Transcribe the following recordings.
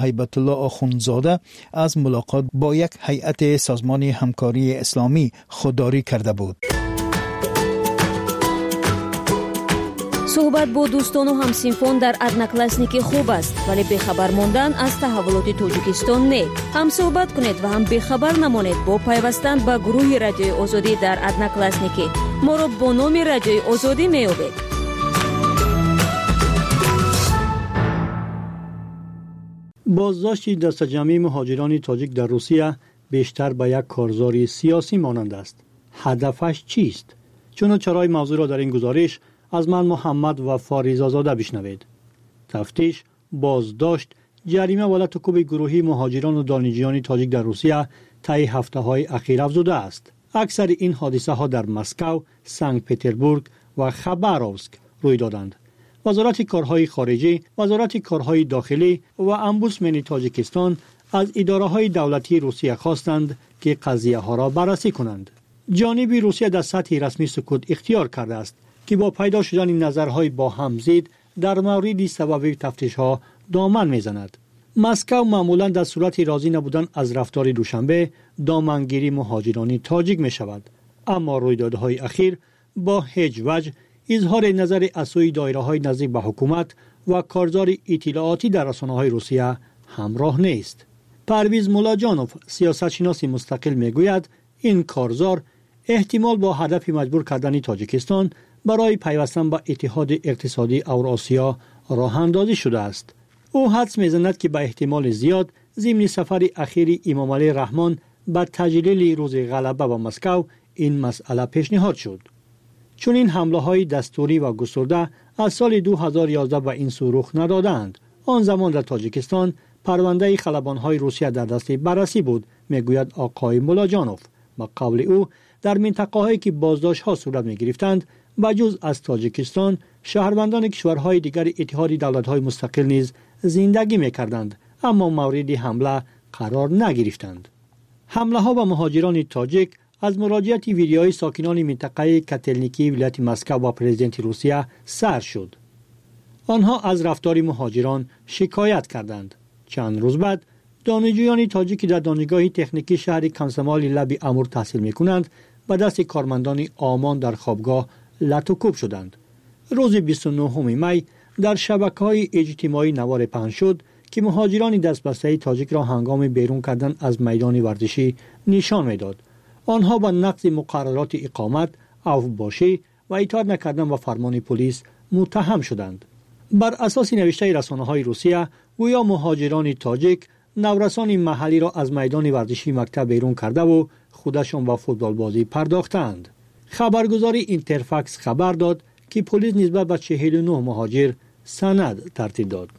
Ҳайбатулло Охундзода аз мулоқот бо як ҳайати Созмони Ҳамкории Исломӣ худдорӣ карда буд. Суҳбат бо дӯстону ҳамсинфон дар Одноклассники хуб аст, вале бехабар мондан аз таҳаввулоти Тоҷикистон не. Ҳам суҳбат кунед ва ҳам бехабар намонед бо пайвастан ба гурӯҳи Радиои Озодӣ дар Одноклассники. Моро бо номи Радиои Озодӣ меёбед. Боздошти дастаҷамъии муҳоҷирони тоҷик дар Русия бештар ба як корзори сиёсӣ монанд аст. Ҳадафаш чист? Чуну чарои мавзӯъро дар ин гузориш аз ман Муҳаммад Вафо Ризозода бишнавед. Тафтиш, боздошт, ҷарима ва лату кӯби гурӯҳии муҳоҷирону донишҷӯёни тоҷик дар Русия таи ҳафтаҳои ахир афзудааст. Аксари ин ҳодисаҳо дар Москав, Санкт-Петербург ва Хабаровск рӯй доданд. Вазорати корҳои хориҷӣ, Вазорати корҳои дохилӣ ва омбудсмени Тоҷикистон аз идораҳои давлатии Русия хостанд, ки қазияҳоро баррасӣ кунанд. Ҷониби Русия дар сатҳи расмӣ сукут ихтиёр кардааст, ки бо пайдо шудани назарҳои бо ҳам зид дар мавриди сабаби тафтишҳо доман мезанад. Москав маъмулан дар сурати розӣ набудан аз рафтори Душанбе домангирии муҳоҷирони тоҷик мешавад. Аммо рӯйдодҳои ахир бо ҳеҷ ваҷҳ изҳори назари аз сӯи доираҳои наздик ба ҳукумат ва корзори иттилоотӣ дар расонаҳои Русия ҳамроҳ нест. Парвиз Муллоҷонов, сиёсатшиноси мустақил, мегӯяд ин корзор эҳтимол бо ҳадафи маҷбур кардани Тоҷикистон барои пайвастан ба Иттиҳоди Иқтисодии Авросиё роҳандозӣ шудааст. Ӯ ҳадс мезанад, ки ба эҳтимоли зиёд зимни сафари ахири Имомалӣ Раҳмон ба таҷлили рӯзи ғалаба ба Москав ин масъала пешниҳод шуд. Чунин ҳамлаҳои дастурӣ ва густурда аз соли 2011 ба ин сӯ рух надодаанд. Он замон дар Тоҷикистон парвандаи халабонҳои Русия дар дасти баррасӣ буд, мегӯяд оқои Муллоҷонов. Ба қавли ӯ, дар минтақаҳое ки боздоштҳо сурат мегирифтанд, ба ҷуз аз Тоҷикистон, шаҳрвандони кишварҳои дигари Иттиҳоди Давлатҳои Мустақил низ зиндагӣ мекарданд, аммо мавриди ҳамла қарор нагирифтанд. Ҳамлаҳо ба муҳоҷирони тоҷик аз муроҷиати видеои сокинони минтақаи Котелникии вилояти Москав ба президенти Русия сар шуд. Онҳо аз рафтори муҳоҷирон шикоят карданд. Чанд рӯз баъд донишҷӯёни тоҷик, ки дар донишгоҳи техникии шаҳри Комсомоли лаби Амур таҳсил мекунанд, ба дасти кормандони ОМОН дар хобгоҳ лату кӯб шуданд. Рӯзи 29 май дар шабакаҳои иҷтимоӣ наворе паҳн шуд, ки муҳоҷирони дастбастаи тоҷикро ҳангоми берун кардан аз майдони варзишӣ нишон медод. Онҳо ба нақзи муқаррароти иқомат, авфбошӣ ва итоат накардан ба фармони полис муттаҳам шуданд. Бар асоси навиштаи расонаҳои Русия, гӯё муҳоҷирони тоҷик наврасони маҳаллиро аз майдони варзишии мактаб берун кардаву худашон ба футболбозӣ пардохтаанд. Хабаргузори Интерфакс хабар дод, ки полис нисбат ба 49 муҳоҷир санад тартиб дод.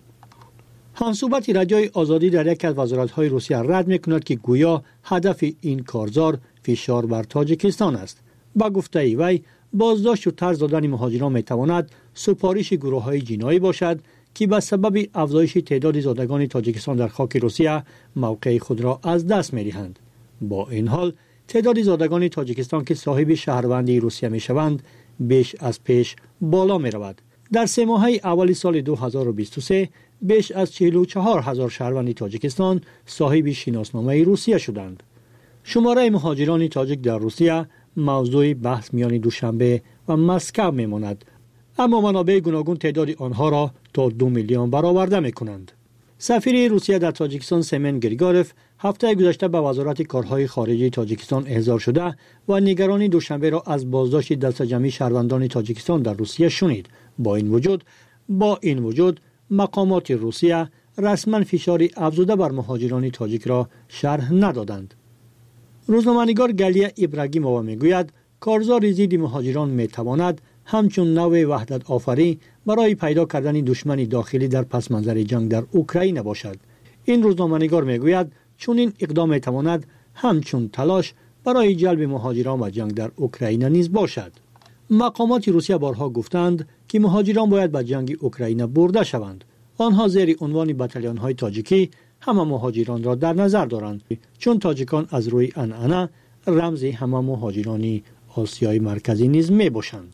Ҳамсӯҳбати Радиои Озодӣ дар яке аз вазоратҳои Русия рад мекунад, ки гӯё ҳадафи ин корзор фишор бар Тоҷикистон аст. Ба гуфтаи вай, боздошту тарз додани муҳоҷирон метавонад супориши гурӯҳҳои ҷиноӣ бошад, ки ба сабаби афзоиши теъдоди зодагони Тоҷикистон дар хоки Русия мавқеи худро аз даст медиҳанд. Бо ин ҳол, теъдоди зодагони Тоҷикистон, ки соҳиби шаҳрвандии Русия мешаванд, беш аз пеш боло меравад. Дар се моҳаи аввали соли 2023 беш аз 44 ҳазор шаҳрванди Тоҷикистон соҳиби шиносномаи Русия шуданд. Шумораи муҳоҷирони тоҷик дар Русия мавзӯи баҳс миёни Душанбе ва Москав мемонад, аммо манобеи гуногун теъдоди онҳоро то 2 миллион бароварда мекунанд. Сафири Русия дар Тоҷикистон Семен Григорев ҳафтаи гузашта ба Вазорати корҳои хориҷии Тоҷикистон эҳзор шуда ва нигаронии Душанберо аз боздошти дастаҷамъии шаҳрвандони Тоҷикистон дар Русия шунид. Бо ин вуҷуд мақомоти Русия расман фишори афзуда бар муҳоҷирони тоҷикро шарҳ надоданд. Рӯзноманигор Галия Ибрагимова мегӯяд, корзори зидди муҳоҷирон метавонад ҳамчун навъи ваҳдатофарӣ барои пайдо кардани душмани дохилӣ дар пасманзари ҷанг дар Украина бошад. Ин рӯзноманигор мегӯяд, чунин иқдом метавонад ҳамчун талош барои ҷалби муҳоҷирон ба ҷанг дар Украина низ бошад. Мақомоти Русия борҳо гуфтанд, ки муҳоҷирон бояд ба ҷанги Украина бурда шаванд. Онҳо зери унвони батальонҳои тоҷикӣ ҳама муҳоҷиронро дар назар доранд, чун тоҷикон аз рӯи анъана рамзи ҳама муҳоҷирони Осиёи Марказӣ низ мебошанд.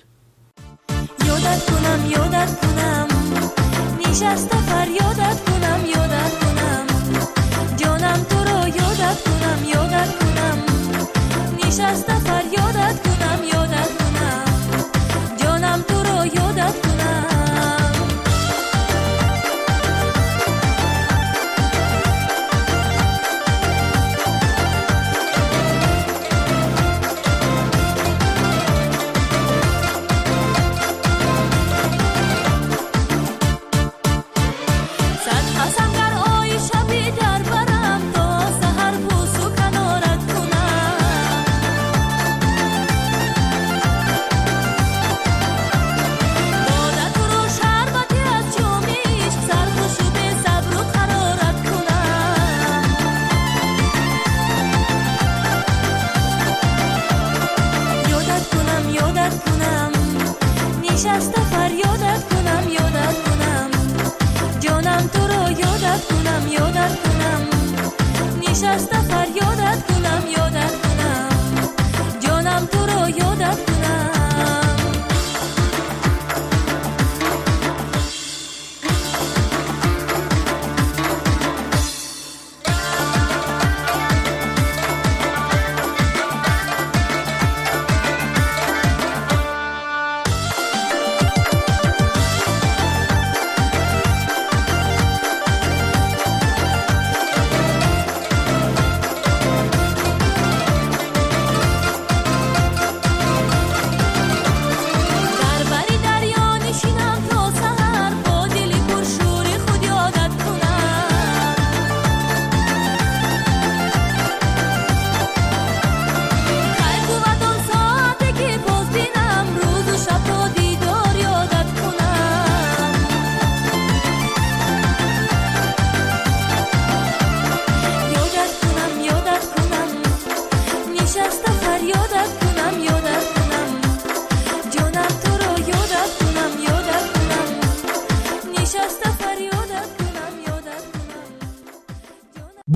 Ёдат кунам, ёдат кунам, нишаста фарёдат кунам, ёдат кунам. Нишаста фарёдат кунам, ёдат кунам, ҷонам туро ёдат кунам.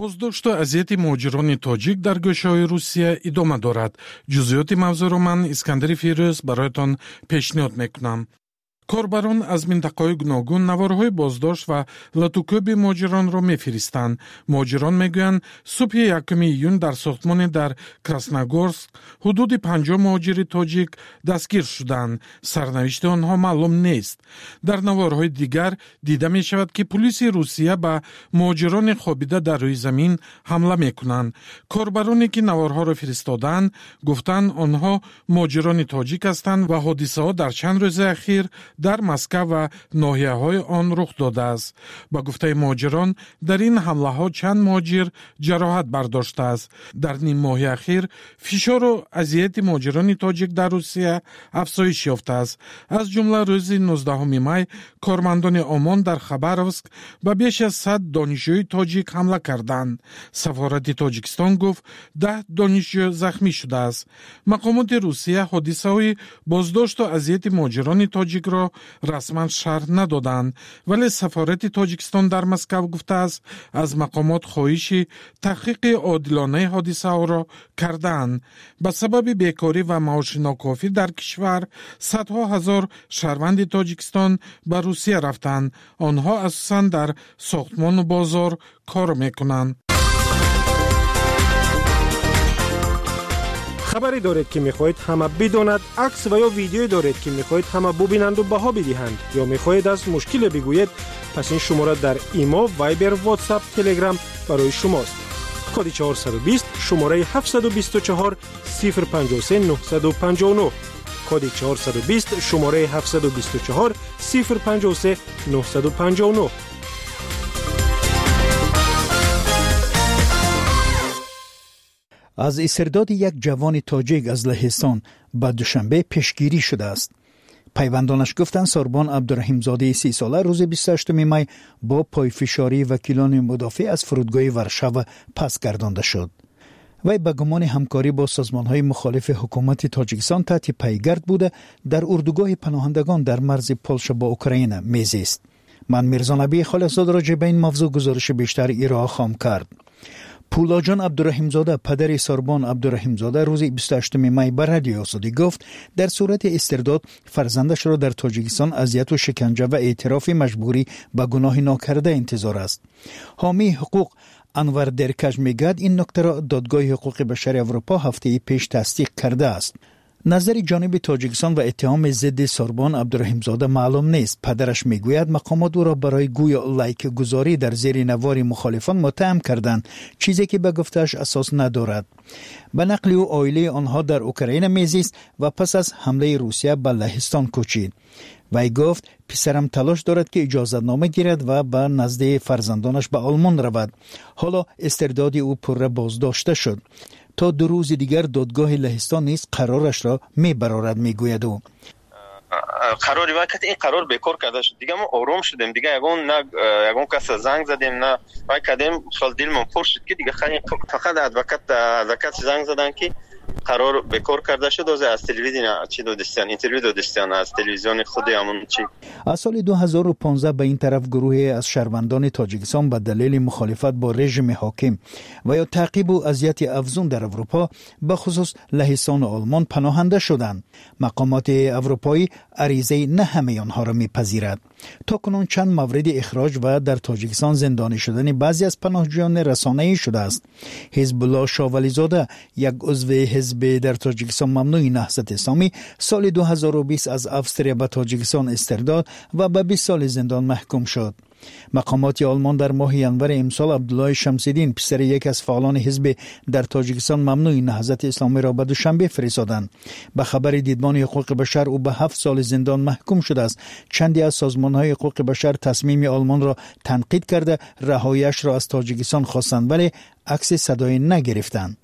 Боздошту азияти муҳоҷирони тоҷик дар гӯшаҳои Русия идома дорад. Ҷузъиёти мавзӯъро ман, Искандари Фирӯз, бароятон пешниҳод мекунам. Корбарон аз минтақаҳои гуногун наворҳои боздошт ва латукӯби муҳоҷиронро мефиристанд. Муҳоҷирон мегӯянд, субҳи 1 июн дар сохтмоне дар Красногорск ҳудуди 50 муҳоҷири тоҷик дастгир шуданд. Сарнавишти онҳо маълум нест. Дар наворҳои дигар дида мешавад, ки пулиси Русия ба муҳоҷирони хобида дар рӯи замин ҳамла мекунанд. Корбароне, ки наворҳоро фиристодаанд, гуфтанд, онҳо муҳоҷирони тоҷик ҳастанд ва ҳодисаҳо дар чанд рӯзи ахир дар Москав ва ноҳияҳои он рух додааст. Ба гуфтаи муҳоҷирон, дар ин ҳамлаҳо чанд муҳоҷир ҷароҳат бардоштааст. Дар ним моҳи ахир фишору азияти муҳоҷирони тоҷик дар Русия афзоиш ёфтааст. Аз ҷумла рӯзи 19 май кормандони ОМОН дар Хабаровск ба беш аз 100 донишҷӯи тоҷик ҳамла карданд. Сафорати Тоҷикистон гуфт, 10 донишҷӯ захмӣ шудааст. Мақомоти Русия ҳодисаҳои боздошту азияти муҳоҷирони тоҷикро расман шарҳ надоданд, вале сафорати Тоҷикистон дар Москав гуфтааст, аз мақомот хоҳиши таҳқиқи одилонаи ҳодисаҳоро кардаанд. Ба сабаби бекорӣ ва маоши нокофӣ дар кишвар садҳо ҳазор шаҳрванди Тоҷикистон ба Русия рафтанд. Онҳо асосан дар сохтмону бозор кор мекунанд. Хабаре доред, ки мехоҳед ҳама бидонад, акс ва ё видеое доред, ки мехоҳед ҳама бубинанду баҳо бидиҳанд, ё мехоҳед аз мушкиле бигӯед, пас ин шумора дар Имо, Вайбер, Ватсап, Телеграм барои шумост. Коди 420, шумораи 724 053 959. Коди 420, шумораи 724 053 959. Аз истирдоди як ҷавони тоҷик аз Лаҳистон ба Душанбе пешгирӣ шудааст. Пайвандонаш гуфтанд, Сорбон Абдураҳимзодаи 30-сола рӯзи 28 май бо пойфишории вакилони мудофеъ аз фурудгоҳи Варшава пас гардонда шуд. Вай ба гумони ҳамкорӣ бо созмонҳои мухолифи ҳукумати Тоҷикистон таҳти пайгард буда, дар урдугоҳи паноҳандагон дар марзи Полша бо Украина мезист. Ман Мирзонабии Холиқзод роҷеъ ба ин мавзӯъ гузориши бештар ироа хоҳам кард. Пулоҷон Абдураҳимзода, падари Сорбон Абдураҳимзода, рӯзи 28 май ба Радиои Озодӣ гуфт, дар сурати истирдод фарзандашро дар Тоҷикистон азияту шиканҷа ва эътирофи маҷбурӣ ба гуноҳи нокарда интизор аст. Ҳомии ҳуқуқ Анвар Деркаш мегӯяд, ин нуктаро Додгоҳи ҳуқуқи башари Аврупо ҳафтаи пеш тасдиқ кардааст. Назари ҷониби Тоҷикистон ва иттиҳоми зидди Сорбон Абдураҳимзода маълум нест. Падараш мегӯяд, мақомот ӯро барои гӯё лайкгузорӣ дар зери навори мухолифон муттаҳам карданд, чизе ки ба гуфтааш асос надорад. Ба нақли ӯ, оилаи онҳо дар Украина мезист ва пас аз ҳамлаи Русия ба Лаҳистон кӯчид. Вай гуфт, писарам талош дорад, ки иҷозатнома гирад ва ба назди фарзандонаш ба Олмон равад. Ҳоло истирдоди ӯ пурра боздошта шуд. То 2 рӯзи дигар додгоҳи Лаҳистон низ қарорашро мебарорад, мегӯяд ӯ. Қарори вай ин қарор бекор карда шуд. Дига мо ором шудем, дига ягон на ягон каса занг задем, на вай кардем. Хел дилмон пур шуд, ки дига фақат адвокат занг заданд, ки Қарор бекор карда шуд. Ҳозир аз телевидения чӣ додистиян, интервю додистиян аз телевизиони худи ҳамон чӣ. Аз соли 2015 ба ин тараф гурӯҳе аз шаҳрвандони Тоҷикистон ба далели мухолифат бо режими ҳоким ва ё таъқибу азияти афзун дар Аврупо, ба хусус Лаҳистону Олмон, паноҳанда шуданд. Мақомоти аврупоӣ аризаи на ҳамаи онҳоро мепазирад. То кунун чанд мавриди ихроҷ ва дар Тоҷикистон зиндонӣ шудани баъзе аз паноҳҷӯёни расонаӣ шудааст. Ҳизбулло Шовализода, як узви ҳизби дар Тоҷикистон мамнӯи Наҳзати Исломӣ, соли 2020 аз Австрия ба Тоҷикистон истирдод ва ба 20 соли зиндон маҳкум шуд. Мақомоти Олмон дар моҳи январи имсол Абдуллои Шамсиддин, писари яке аз фаъолони ҳизби дар Тоҷикистон мамнӯи Наҳзати Исломиро ба Душанбе фиристоданд. Ба хабари Дидбони ҳуқуқи башар, ӯ ба 7 соли зиндон маҳкум шудааст. Чанде аз созмонҳои ҳуқуқи башар тасмими Олмонро танқид карда, раҳояшро аз Тоҷикистон хостанд, вале акси садое нагирифтанд.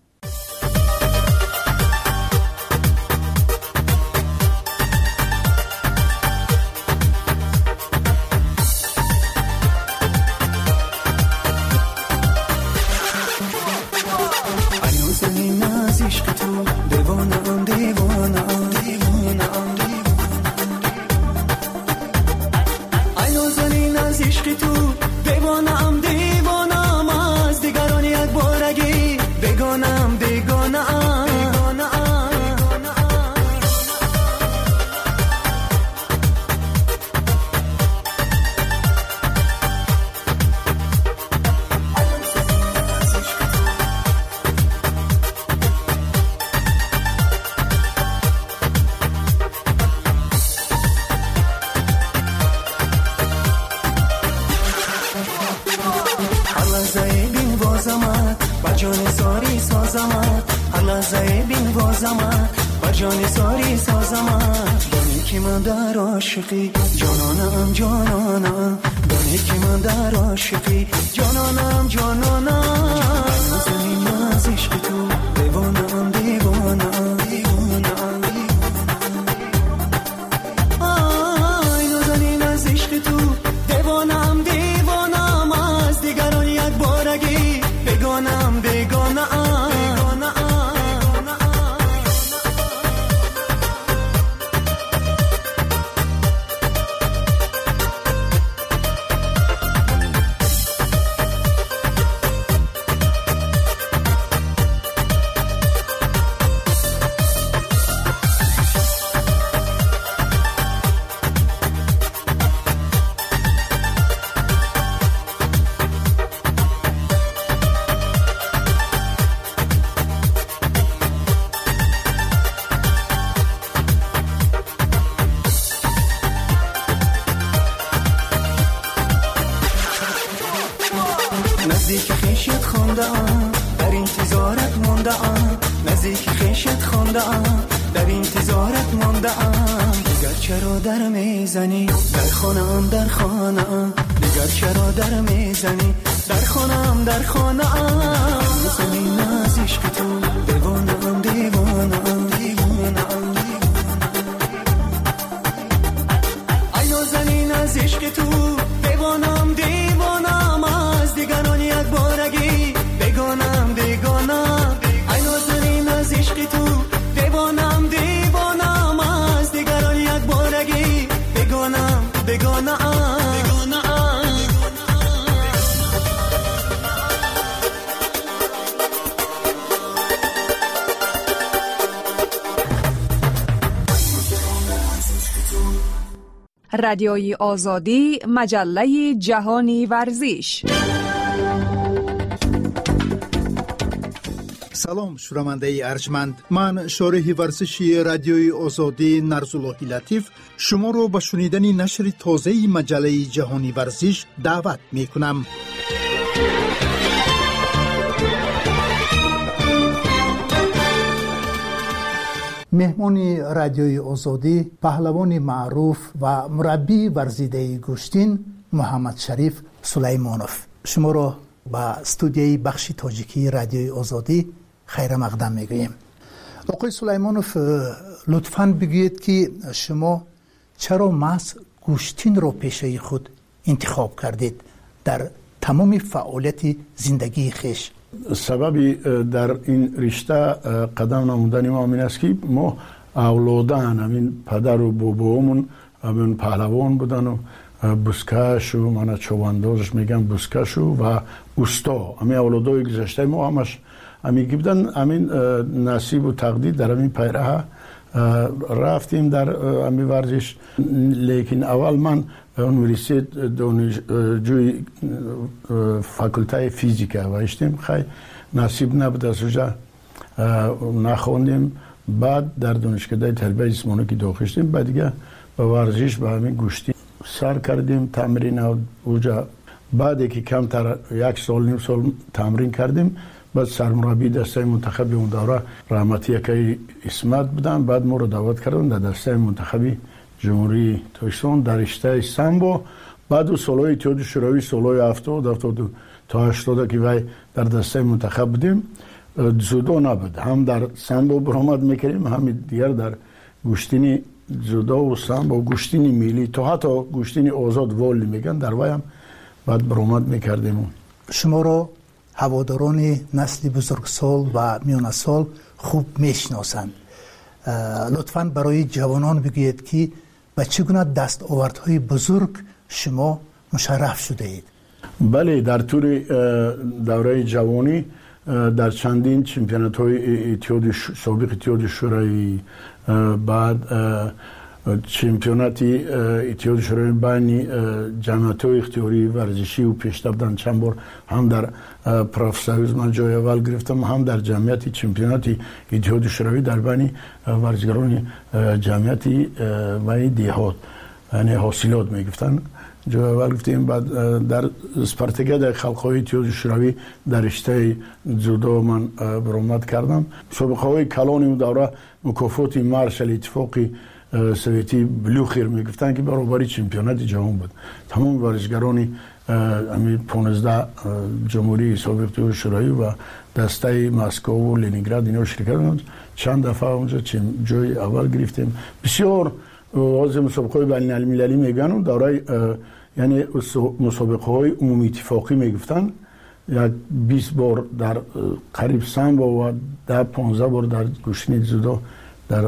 جانانم جانانم، دانی که من در عاشقی، جانانم جانانم. زمین از عشق تو دیوانم دیوانم دیوانم. آی نازنین از عشق تو دیوانم دیوانم، از دیگران یک بارگی بگانم بگانم. رادیوی آزادی، مجله جهانی ورزش. Салом, шунавандаи арҷманд. Ман, шореҳи варзиши Радиои Озодӣ Нарзуллоҳи Латиф, шуморо ба шунидани нашри тозаи маҷаллаи ҷаҳони варзиш даъват мекунам. Меҳмони Радиои Озодӣ, паҳлавони маъруф ва мураббии варзидаи гӯштин Муҳаммадшариф Сулаймонов. Шуморо ба студияи бахши тоҷикии Радиои Озодӣ хайрамақдам мегӯем. Оқои Сулаймонов, лутфан бигӯед, ки шумо чаро маҳз гӯштинро пешаи худ интихоб кардед дар тамоми фаъолияти зиндагии хеш? Сабаби дар ин ришта қадам намудани мо ҳамин аст, ки мо авлодан ҳамин падару бобоомон ҳамин паҳлавон будану бузкашу мана човандозаш мегӯям, бузкашу ва усто. Ҳамин авлодои гузаштаи мо ҳамаш ҳамин ки будан, ҳамин насибу тақдир дар ҳамин пайраҳа рафтем дар ҳамин варзиш. Лекин аввал ман университет донишҷӯи факултаи физика ваиштем. Хай, насиб набуд, аз уҷа нахондем. Баъд дар донишкадаи тарбияи ҷисмонӣ ки дохил шудем, баъд дига ба варзиш, ба ҳамин гӯштӣ сар кардем тамрина уҷа. Баъде ки камтар як сол, ним сол тамрин кардем, баъд сармураббии дастаи мунтахаби он давра раҳматӣ акаи Исмат буданд. Баъд моро даъват карданд дар дастаи мунтахаби Ҷумҳурии Тоҷикистон дар риштаи самбо. Баъду солҳои Иттиҳоди Шӯравӣ, солҳои 70, 70 то 80, ки вай дар дастаи мунтахаб будем, дзюдо набуд. Ҳам дар самбо баромад мекардем, ҳам дигар дар гӯштини дзюдову самбо, гӯштини миллӣ, то ҳатто гӯштини озод, вольный мегӯянд, дар вай ҳам баъд баромад мекардем. Шуморо ҳаводорони насли бузургсол ва миёнасол хуб мешиносанд. Лутфан барои ҷавонон бигӯед, ки ба чӣ гуна дастовардҳои бузург шумо мушарраф шудаед. Бале, дар тӯли давраи ҷавонӣ дар чандин чемпионатҳои иттиҳоди собиқ Иттиҳоди Шӯравӣ, баъд чемпионати Иттиҳоди Шӯравӣ байни ҷамъиятҳои ихтиёрии варзишию пешта буданд, чанд бор ҳам дар профсоюз ман ҷои аввал гирифтам, ҳам дар ҷамъияти чемпионати Иттиҳоди Шӯравӣ дар байни варзишгарони ҷамъияти ваи деҳот, яъне ҳосилот мегуфтанд, ҷои аввал гирифтем. Баъд дар спартакиадаи халқҳои Иттиҳоди Шӯравӣ дар риштаи дзюдо ман баромад кардам. Мусобиқаҳои калони он давра, мукофоти маршали Иттифоқи Советӣ Блюхер мегуфтанд, ки баробари чемпионати ҷаҳон буд. Тамоми варзишгарони ҳамин 15 ҷумҳурии собиқ Иттиҳоди Шӯравӣ ва дастаи Москову Ленинград ино ширкат. Чанд дафъа онҷо ҷои аввал гирифтем. Бисёр ҳозир мусобиқаҳои байналмилалӣ мегӯянд, давраи яъне мусобиқаҳои умумииттифоқӣ мегуфтанд, як 20 бор дар қариб самбо ва 10-15 бор дар гӯштини дзюдо дар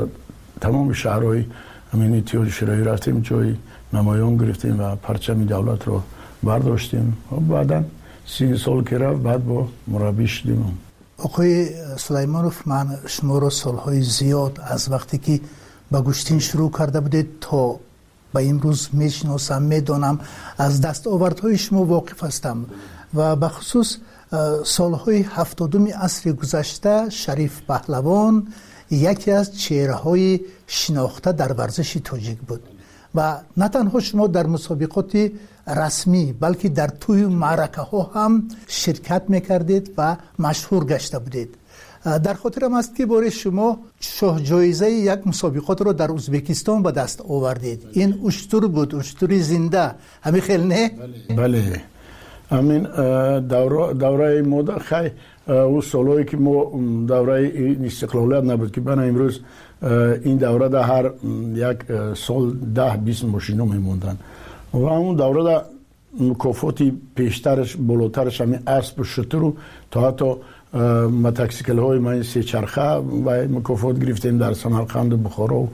тамоми шаҳрҳои ҳамин Иттиҳоди Шӯравӣ рафтем, ҷои намоён гирифтем ва парчами давлатро бардоштем. Баъдан 30 сол ки рафт, баъд бо мураббӣ шудем. Оқои Сулаймонов, ман шуморо солҳои зиёд, аз вақте ки ба гӯштин шурӯъ карда будед то ба имрӯз, мешиносам, медонам, аз дастовардҳои шумо воқиф ҳастам ва бахусус солҳои 70-уми асри гузашта Шариф Паҳлавон яке аз чеҳраҳои шинохта дар варзиши тоҷик буд ва на танҳо шумо дар мусобиқоти расмӣ, балки дар тӯю маъракаҳо ҳам ширкат мекардед ва машҳур гашта будед. Дар хотирам аст, ки боре шумо шоҳҷоизаи як мусобиқотро дар Ӯзбекистон ба даст овардед. Ин уштур буд, уштури зинда, ҳамин хел не? Бале, ҳамин давраи мода, хай, ӯ солҳое ки мо давраи истиқлолият набуд, ки бана имрӯз ин даврада ҳар як сол 10-20 мошино мемонданд, ва ҳамун даврада мукофоти пештараш, болотараш ҳамин аспу шутуру то ҳатто мотосиклҳои ман сечарха ва мукофот гирифтем дар Самарқанду Бухоро.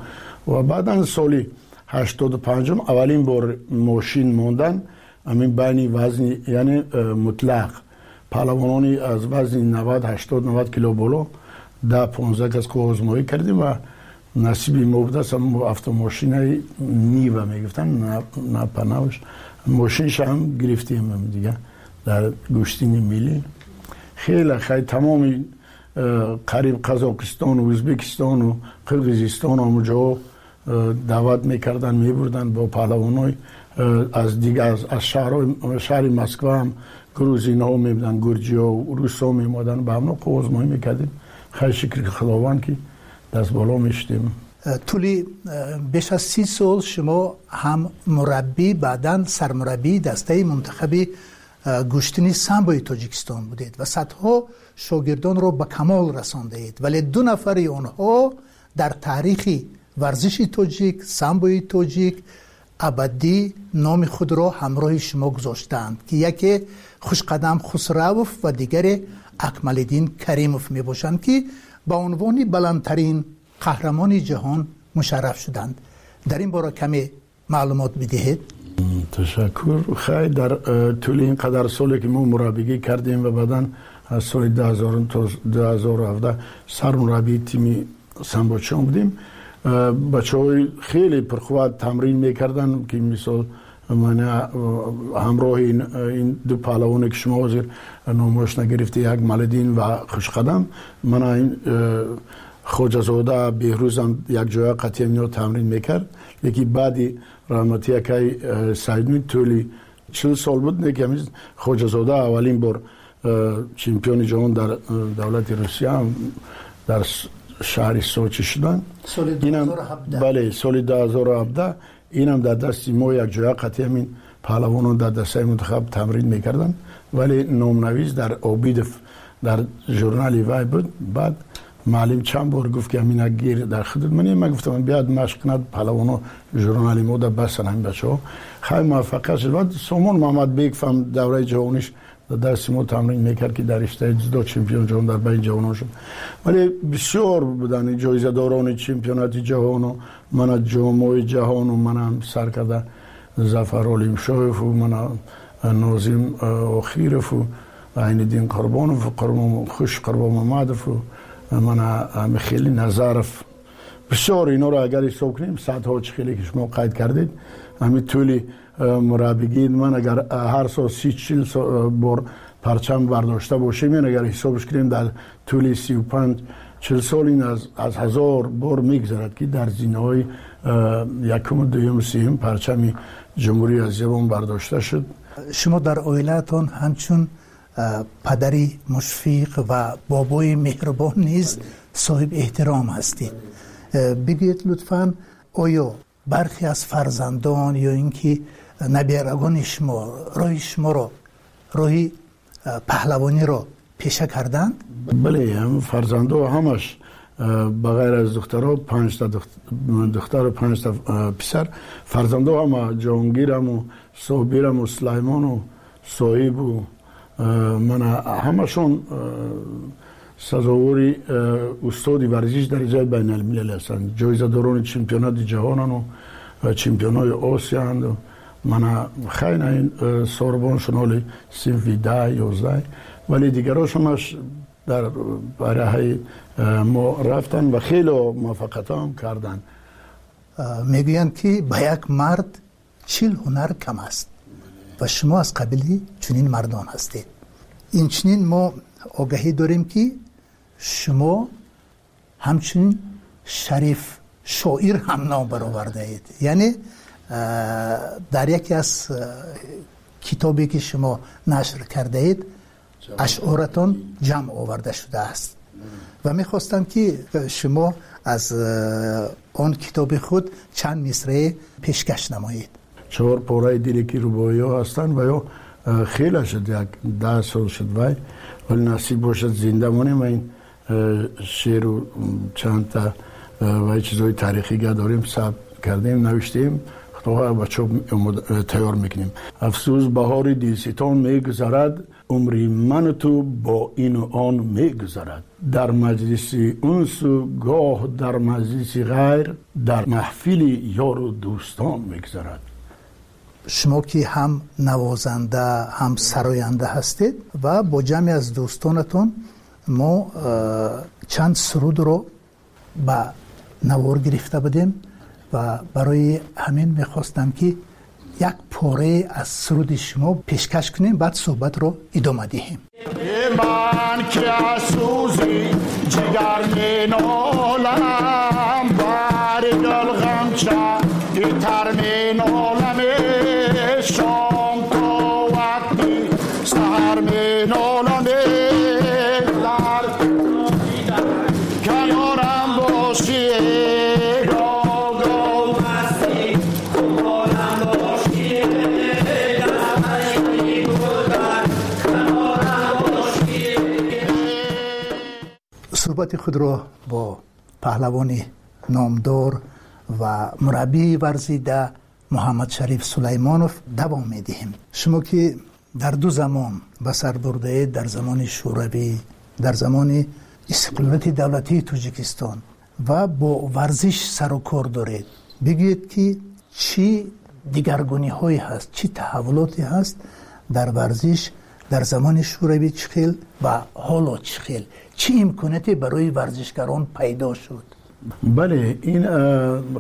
Ва баъдан соли 85-ум аввалин бор мошин мондан, ҳамин байни вазни, яъне мутлақ паҳлавонони аз вазни 90, 80, 90 кило боло, 10-15 кас озмоӣ кардем ва насиби мо будааст автомошинаи Нива мегуфтанд, напанавш мошинша ҳам гирифтем дига дар гӯштини миллӣ. Хеле хай, тамоми қариб Қазоқистону Ӯзбекистону Қирғизистону ҳамуҷоҳо даъват мекарданд, мебурданд бо паҳлавонои аз дигар, аз шаҳри Москва ҳам грузинҳо мебуданд, гурҷиҳо, русҳо меомаданд, ба ҳамно озмоӣ мекардем. Хай, шукри Худованд, ки дастболо мешудем. Тӯли беш аз 30 сол шумо ҳам мураббӣ, баъдан сармураббии дастаи мунтахаби гӯштини самбои Тоҷикистон будед ва садҳо шогирдонро ба камол расондаед, вале ду нафари онҳо дар таърихи варзиши тоҷик, самбои тоҷик абадӣ номи худро ҳамроҳи шумо гузоштаанд, ки яке Хушқадам Хусравов ва дигаре Акмалиддин Каримов мебошанд, ки ба унвони баландтарин қаҳрамони ҷаҳон мушарраф шуданд. Дар ин бора каме маълумот бидиҳед. Ташаккур. Хай, дар тӯли ин қадар соле ки мо мураббигӣ кардем ва баъдан аз соли 2000 то 2017 сармураббии тими самбочиён будем, бачаҳои хеле пурқувват тамрин мекарданд, ки мисол мана ҳамроҳи ин ду паҳлавоне ки шумо ҳозир номош нагирифта, як Малиддин ва Хушқадам, мана ин Хоҷазода Беҳрӯзам якҷоя қатъиян ино тамрин мекард. Лекин баъди раҳмати акай Саидмин тӯли 40 сол буд, неки ҳамин Хоҷазода аввалин бор чемпиони ҷаҳон дар давлати Русия дар шаҳри Сочи шуданд. Бале, соли 2017. Инам дар дасти мо якҷоя қатъи ҳамин паҳлавонон дар дастаи мунтахаб тамрин мекарданд, вале номнавис дар Обидов дар журнали вай буд. Баъд муаллим чанд бор гуфт, ки ҳамина гир дар худат. Ман гуфтам, биёд машқ кунад паҳлавоно, журнали мо да бастан ҳамин бачаҳо. Хай, муваффақият шуд. Баъд Сомон Муҳаммадбеков ҳам давраи ҷавониш дар дасти мо тамрин мекард, ки дар риштаи дзюдо чемпион ҷаҳон дар байни ҷавонон шуд. Вале бисёр буданд ҷоизадорони чемпионати ҷаҳону мана ҷомҳои ҷаҳону мана сар карда Зафар Олимшоеву мана Нозим Охирову Айниддин Қурбонов, Хуш Қурбонмамадову мана Михели Назаров, бисёр. Инҳоро агар ҳисоб кунем, садҳо, чӣ хеле ки шумо қайд кардед. Ҳамин тӯли мураббигӣ ман агар ҳар сол 30-40 бор парчам бардошта бошем, ин агар ҳисобш кунем, дар тӯли 35-40 сол ин аз 1000 бор мегузарад, ки дар зинаҳои якуму дуюму сеюм парчами ҷумҳурии азизамон бардошта шуд. Шумо дар оилаатон ҳамчун падари мушфиқ ва бобои меҳрубон низ соҳиб эҳтиром ҳастед. Бигӯед лутфан, оё бархе аз фарзандон ё ин ки наберагони шумо роҳи шуморо, роҳи паҳлавониро пеша карданд? Бале, фарзандо ҳамаш ба ғайр аз духтаро, панҷта духтару панҷта писар, фарзандо ҳама Ҷонгираму Собираму Сулаймону Соҳибу мана ҳамашон сазовори устоди варзиш дараҷаи байналмилалӣ ҳастанд, ҷоизадорони чемпионати ҷаҳонану чемпионҳои Осиянд. Мана хайна ин сорбоншон ҳоли синфи 10, 11, вале дигарошонаш дар бараҳаи мо рафтанд ва хеле муваффақиятҳо ҳам карданд. Мегӯянд, ки ба як мард 40 ҳунар кам аст ва шумо аз қабили чунин мардон ҳастед. Инчунин мо огаҳӣ дорем, ки шумо ҳамчунин шариф шоир ҳам ном баровардаед, яъне дар яке аз китобе ки шумо нашр кардаед, ашъоратон ҷамъ оварда шудааст ва мехостам, ки шумо аз он китоби худ чанд мисрае пешкаш намоед. Чор пораи диле, ки рубоиҳо ҳастанд ва ё хеле шуд, як 10 сол шуд вай, вале насиб бошад, зинда монем ва ин шеъру чандта вай чизҳои таърихига дорем, сабт кардем, навиштем, худоҳо ба чоп тайёр мекунем. Афсӯс, баҳори дилситон мегузарад, умри ману ту бо ину он мегузарад. Дар маҷлиси унсу гоҳ дар маҷлиси ғайр, дар маҳфили ёру дӯстон мегузарад. Шумо ки ҳам навозанда, ҳам сароянда ҳастед ва бо ҷамъе аз дӯстонатон мо чанд сурудро ба навор гирифта будем ва барои ҳамин мехостам, ки як порае аз суруди шумо пешкаш кунем, баъд суҳбатро идома диҳем. Ман ки аз сӯзи ҷигар менолам, бари гул ғамча итар менолам, шом то вақти саҳар менолам, дар канорам бошӣ. Суҳбати худро бо паҳлавони номдор ва мураббии варзида Муҳаммадшариф Сулаймонов давом медиҳем. Шумо ки Дар ду замон ба сар бурдаед, дар замони Шӯравӣ, дар замони истиқлолияти давлатии Тоҷикистон, ва бо варзиш сару кор доред. Бигӯед, ки чӣ дигаргуниҳое ҳаст, чӣ таҳаввулоте ҳаст дар варзиш дар замони Шӯравӣ чӣ хел ва ҳоло чӣ хел, чӣ имконияте барои варзишгарон пайдо шуд? Бале, ин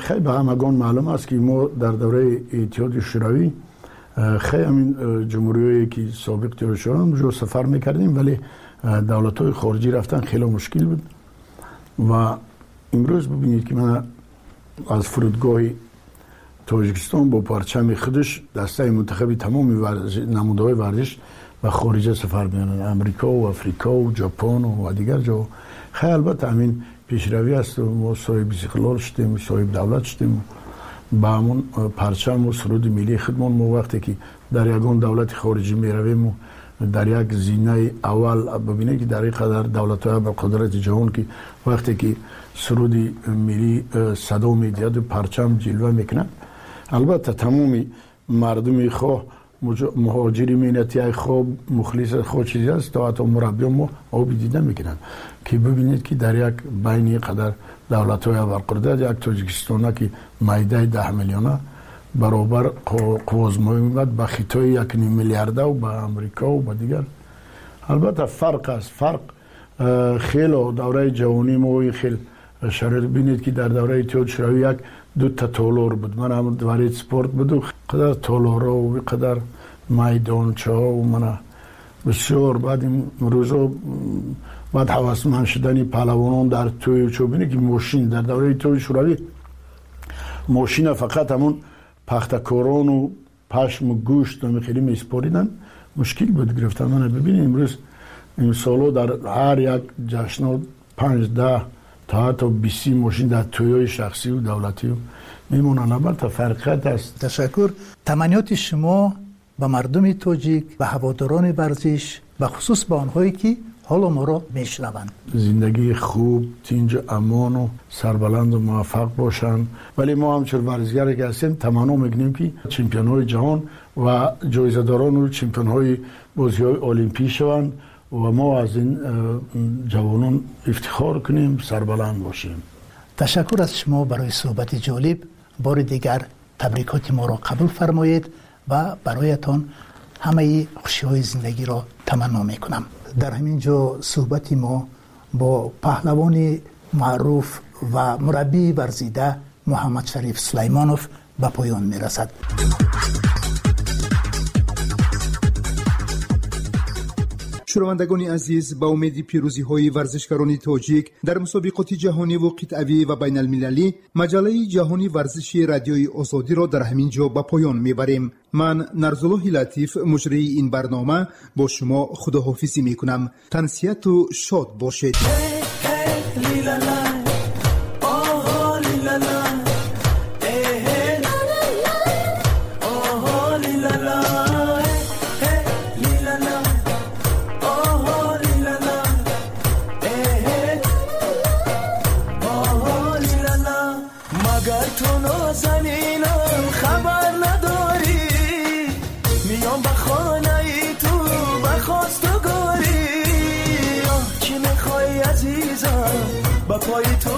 хеле ба ҳамагон маълум аст, ки мо дар давраи Иттиҳоди Шӯравӣ хеле ҳамин ҷумҳуриҳое ки собиқ Иттиҳоди Шӯравӣ онҷо сафар мекардем, вале давлатҳои хориҷӣ рафтан хеле мушкил буд. Ва имрӯз бибинед, ки ман аз фурудгоҳи Тоҷикистон бо парчами худаш дастаи мунтахаби тамоми намудаҳои варзиш ба хориҷа сафар мекунанд, Амрико, Африко, Ҷопон ва дигар ҷо. Хеле албатта ҳамин пешравӣ аст. Мо соҳиби истиқлол шудем, соҳиби давлат шудем, ба ҳамон парчаму суруди миллии худмон. Мо вақте ки дар ягон давлати хориҷӣ меравему дар як зинаи аввал, бибинед, ки дар ин қадар давлатҳои ба қудрати ҷаҳон, ки вақте ки суруди миллӣ садо медиҳаду парчам ҷилва мекунад, албатта тамоми мардуми, хоҳ муҳоҷири меҳнатӣ, хоҳ мухлис, хоҳ чизе аст, то ҳатто мураббиён мо оби дида мекунанд, ки бибинед, ки дар як байни қадар давлатҳои абарқудрат як Тоҷикистона, ки майдаи 10 миллиона, баробар қувваозмоӣ мебад ба Хитои 1,5 миллиардаву ба Амрикову ба дигар. Албатта фарқ аст, фарқ хело. Давраи ҷавонии мо ин хел шароит, бинед, ки дар давраи Иттиҳоди Шӯравӣ як дута толор буд, ман ҳам дворец спорт буду, қадар толорҳо, қадар майдончаҳо, мана бисёр. Баъд имрӯзо, баъд ҳавасманд шудани паҳлавонон дар тӯю чо, бинед, ки мошин дар давраи Иттиҳоди Шӯравӣ мошина фақат ҳамон пахтакорону пашму гӯшт хеле месупориданд, мушкил буд гирифтан. Мана бибинед, имрӯз имсоло дар ҳар як ҷашно панҷ, 10 то ҳатто 20 мошин дар тӯйҳои шахсию давлатию мемонанд. Албатта фарқият аст. Ташаккур. Таманниёти шумо ба мардуми тоҷик, ба ҳаводорони варзиш, ба хусус ба онҳое ки ҳоло моро мешунаванд? Зиндагии хуб, тинҷу амону сарбаланду муваффақ бошанд. Вале мо ҳамчун варзишгаре ки ҳастем, таманно мекунем, ки чемпионҳои ҷаҳон ва ҷоизадорону чемпионҳои бозиҳои олимпӣ шаванд ва мо аз ин ҷавонон ифтихор кунем, сарбаланд бошем. Ташаккур аз шумо барои суҳбати ҷолиб. Бори дигар табрикоти моро қабул фармоед ва бароятон ҳамаи хушиҳои зиндагиро таманно мекунам. Дар ҳамин ҷо суҳбати мо бо паҳлавони маъруф ва мураббии варзида Муҳаммадшариф Сулаймонов ба поён мерасад. Шунавандагони азиз, ба умеди пирӯзиҳои варзишгарони тоҷик дар мусобиқоти ҷаҳониву қитъавӣ ва байналмилалӣ, маҷаллаи ҷаҳони варзиши Радиои Озодиро дар ҳамин ҷо ба поён мебарем. Ман, Нарзуллоҳи Латиф, муҷрии ин барнома, бо шумо худоҳофизӣ мекунам. Тансиҳату шод бошед. Магар ту нозанинам хабар надорӣ? Миём ба хонаи ту ба хостугорӣ. Оҳ, чӣ мехоҳӣ, азизам, ба пои ту.